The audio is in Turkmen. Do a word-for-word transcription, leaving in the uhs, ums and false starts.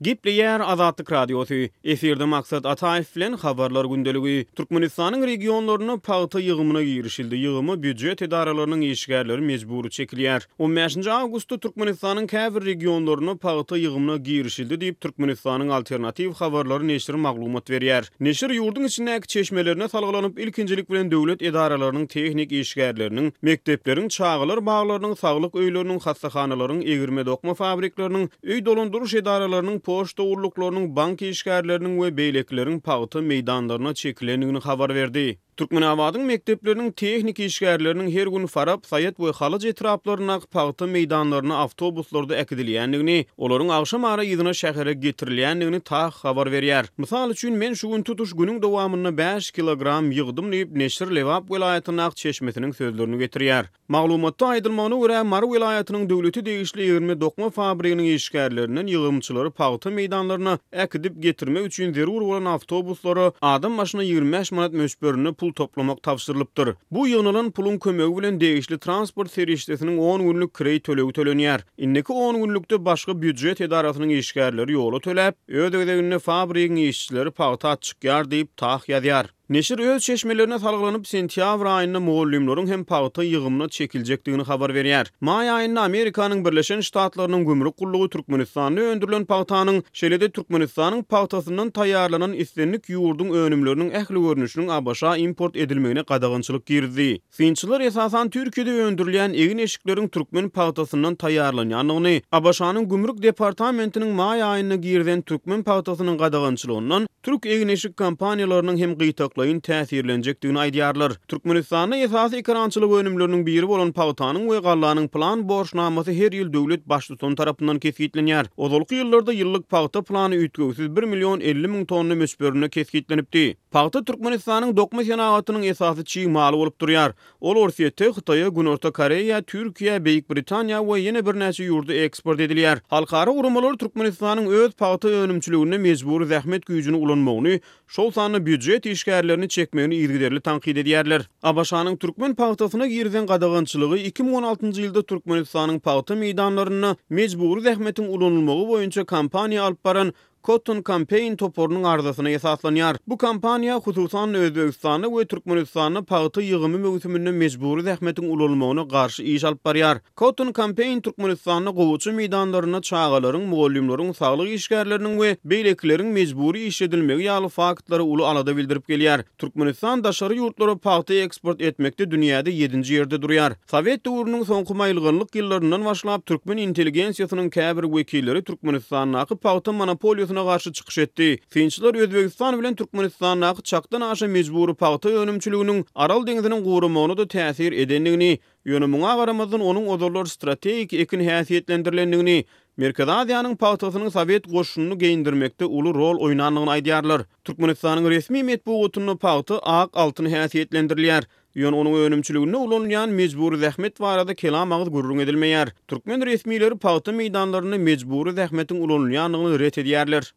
Gepleýär Azatlyk Radiosy. Efirde Maksat Ataýew bilen Habarlar gündeligi. Türkmenistanyň regionlarynda pagta ýygymyna girişildi. Ýygyma býujet edaralarynyň işgärleri mejbury çekilýär. On bäşinji awgustda Türkmenistanyň käbir regionlarynda pagta ýygymyna girişildi diýip, Türkmenistanyň Alternatiw habarlary neşiri maglumat berýär. Neşir ýurduň içindäki çeşmelerine salgylanyp, ilkinjilik bilen döwlet edaralarynyň tehnik işgärleriniň, mekdepleriň, çagalar baglarynyň, saglyk öýleriniň, hassahanalaryň, egirme-dokma fabrikleriniň, öý dolandyryş edaralarynyň, poçta gulluklarynyň, bank işgärleriniň we beýlekileriň pagta meýdanlaryna çekilendigini habar berdi. Türkmenabadyň mekdepleriniň tehnik işgärleriniň her gün Farap, Saýat we Halaç etraplaryndaky pagta meýdanlaryna awtobuslarda äkidilýändigini, olaryň agşam ara yzyna şähere getirilýändigini TAH habar berýär. Mysal üçin, men şu gün tutuş günüň dowamynda bäş kilogram ýygdym diýip, neşir Lebap welaýatyndaky çeşmesiniň sözlerini getirýär. Maglumatda aýdylmagyna görä, Mary welaýatynyň döwlete degişli egirme-dokma fabriginiň işgärlerinden ýygymçylary pagta meýdanlaryna äkidip getirmek üçin zerur bolan awtobuslara adam başyna ýigrimi bäş manat möçberinde pul toplamak tabşyrylypdyr. Bu ýygnalan puluň kömegi bilen degişli transport serişdesiniň on günlük kireý tölegi tölenýär. Indiki on günlükde başga býujet edarasynyň işgärleri ýola töläp, öz gezeginde fabrigiň işçileri pagta atçykýar diýip, TAH ýazýar. Neşir öz çeşmelerine salgylanyp, sentýabr aýynda mugallymlaryň hem pagta ýygymyna çekiljekdigini habar berýär. Maý aýynda Amerikanyň Birleşen Ştatlarynyň gümrük gullugy Türkmenistanda öndürilen pagtanyň, şeýle-de Türkmenistanyň pagtasyndan taýýarlanan islendik ýurduň önümleriniň ähli görnüşiniň ABŞ-a import edilmegine gadagançylyk girizdi. Synçylar esasan Türkiýede öndürilýän egin-eşikleriň türkmen pagtasyndan taýýarlanýandygyny, ABŞ-nyň gümrük departamentiniň maý aýynda girizen türkmen pagtasynyň gadagançylygyndan türk egin-eşik kompaniýalarynyň hem gytaklaýyn täsirlenjekdigini aýdýarlar. Türkmenistanda esasy ekerançylyk önümleriniň biri bolan pagtanyň we gallanyň plan borçnamasy her ýyl döwlet baştutany tarapyndan kesgitlenýär. Ozalky ýyllarda ýyllyk pagta plany üýtgewsiz bir million elli müň tonna möçberinde kesgitlenipdi. Pagta Türkmenistanyň dokma senagatynyň esasy çig maly bolup durýar. Ol Orsýete, Hytaýa, Günorta Koreýa, Türkiýä, Beýik Britaniýa we ýene birnäçe ýurda eksport edilýär. Halkara guramalar Türkmenistanyň öz pagta önümçiliginde mejbury zähmet güýjüni ulanmagyny, şol sanda býujet işgärlerini çekmegini yzygiderli tankyt edýärler. ABŞ-nyň türkmen pagtasyna girizen gadagançylygy iki müň on altynjy ýylda Türkmenistanyň pagta meýdanlarynda mejbury zähmetiň ulanylmagy boýunça kampaniýa alyp baran Cotton Campaign toparynyň arzasyna esaslanýar. Bu kampaniýa, hususan-da, Özbegistanda we Türkmenistanda pagta ýygymy möwsüminde mejbury zähmetiň ulanylmagyna garşy iş alyp barýar. Cotton Campaign Türkmenistanda gowaça meýdanlarynda çagalaryň, mugallymlaryň, saglyk işgärleriniň we beýlekileriň mejbury işledilmegi ýaly faktlara uly alada bildirip gelýär. Türkmenistan daşary ýurtlara pagta eksport etmekde dünýäde ýedinji ýerde durýar. Sowet döwrüniň soňky maýylganlyk ýyllaryndan başlap, türkmen intelligensiýasynyň käbir wekilleri Türkmenistandaky pagta monopoliýasyna garşy çykyş etdi. Synçylar Özbegistan bilen Türkmenistandaky çakdan aşa mejbury pagta önümçiliginiň Aral deňziniň guramagyna-da täsir edendigini, ýöne muňa garamazdan onuň ozallar strategik ekin häsiýetlendirilendigini, Merkezi Aziýanyň pagtasynyň sowet goşunyny geýindirmekde uly rol oýnandygyny aýdýarlar. Türkmenistanyň resmi metbugatynda pagta ak altyn häsiýetlendirilýär. Ýöne onuň önümçiliginde ulanylýan mejbury zähmet barada kelam agyz gürrüň edilmeýär. Türkmen resmileri pagta meýdanlarynda mejbury zähmetiň ulanylýandygyny ret edýärler.